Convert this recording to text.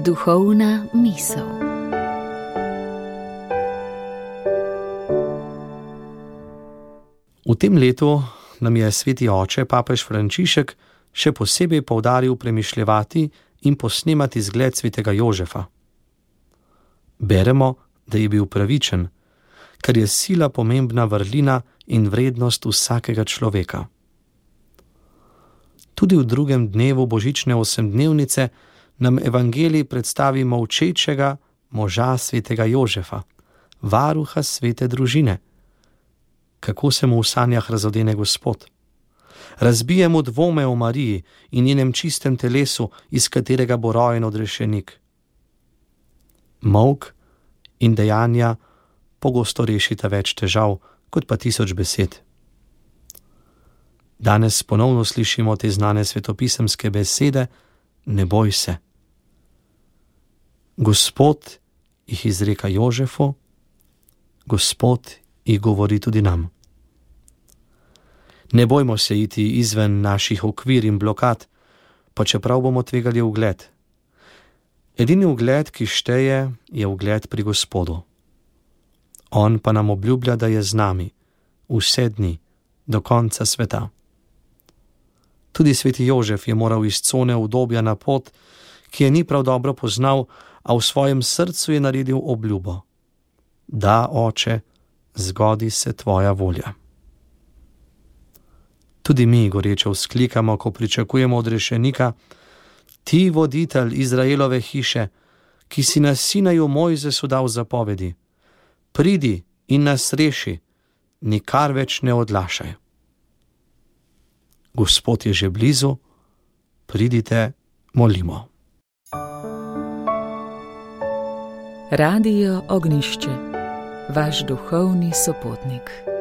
Duhovna misel. V tem letu nam je sveti oče, papež Frančišek, še posebej poudaril premišljevati in posnemati zgled svetega Jožefa. Beremo, da je bil pravičen, kar je sila pomembna vrlina in vrednost vsakega človeka. Tudi v drugem dnevu božične osemdnevnice nam evangelij predstavi molčečega moža svetega Jožefa, varuha svete družine. Kako se mu v sanjah razodene Gospod. Razbije mu dvome o Mariji in njenem čistem telesu, iz katerega bo rojen odrešenik. Molk in dejanja pogosto rešita več težav, kot pa 1000 besed. Danes ponovno slišimo te znane svetopisemske besede: ne boj se. Gospod jih izreka Jožefu, Gospod jih govori tudi nam. Ne bojmo se iti izven naših okvir in blokad, pa čeprav bomo tvegali ugled. Edini ugled, ki šteje, je ugled pri Gospodu. On pa nam obljublja, da je z nami vse dni, do konca sveta. Tudi sveti Jožef je moral iz cone udobja na pot, ki je ni prav dobro poznal, a v svojem srcu je naredil obljubo: da, Oče, zgodi se tvoja volja. Tudi mi goreče vzklikamo, ko pričakujemo odrešenika: ti, voditelj Izraelove hiše, ki si na Sinaju Mojzesu dal zapovedi, pridi in nas reši, nikar več ne odlašaj. Gospod je že blizu, pridite, molimo. Radio Ognjišče, vaš duhovni sopotnik.